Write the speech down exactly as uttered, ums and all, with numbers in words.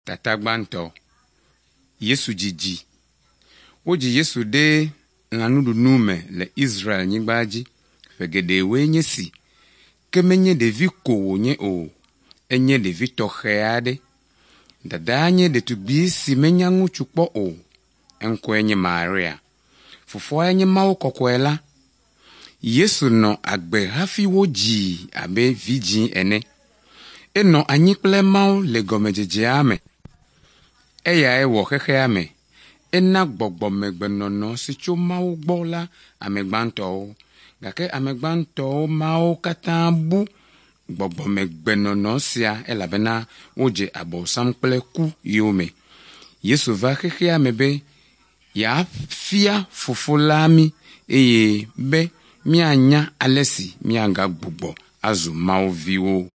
Tata gbãtɔ. Yesu dzidzi. Wodzi Yesu ɖe lãnuɖunu me le Israelnyigba dzi ƒe geɖewoe nye si. Ke menye ɖevi ko wònye o, enye ɖevi tɔxɛ aɖe. Dadaa nye ɖetugbi si menya ŋutsu kpɔ o. Eŋkɔe nye Maria. Fofoae nye Mawu kɔkɔe la. Yesu nɔ agbe hafi wodzii abe vidzĩ ene. Enɔ anyi kple Mawu le gɔmedzedzea me. Eyae wɔ xexea me. Ena gbɔgbɔmegbenɔnɔ si tso Mawu gbɔ la ame gbãtɔwo. Gake ame gbãtɔwo mawo katã bu gbɔgbɔmegbenɔnɔ sia elabena wodze abosam kple ku yome. Yesu va xexea me be yeafia fofo la mí eye be míanya ale si míagagbugbɔ azu Mawu viwo.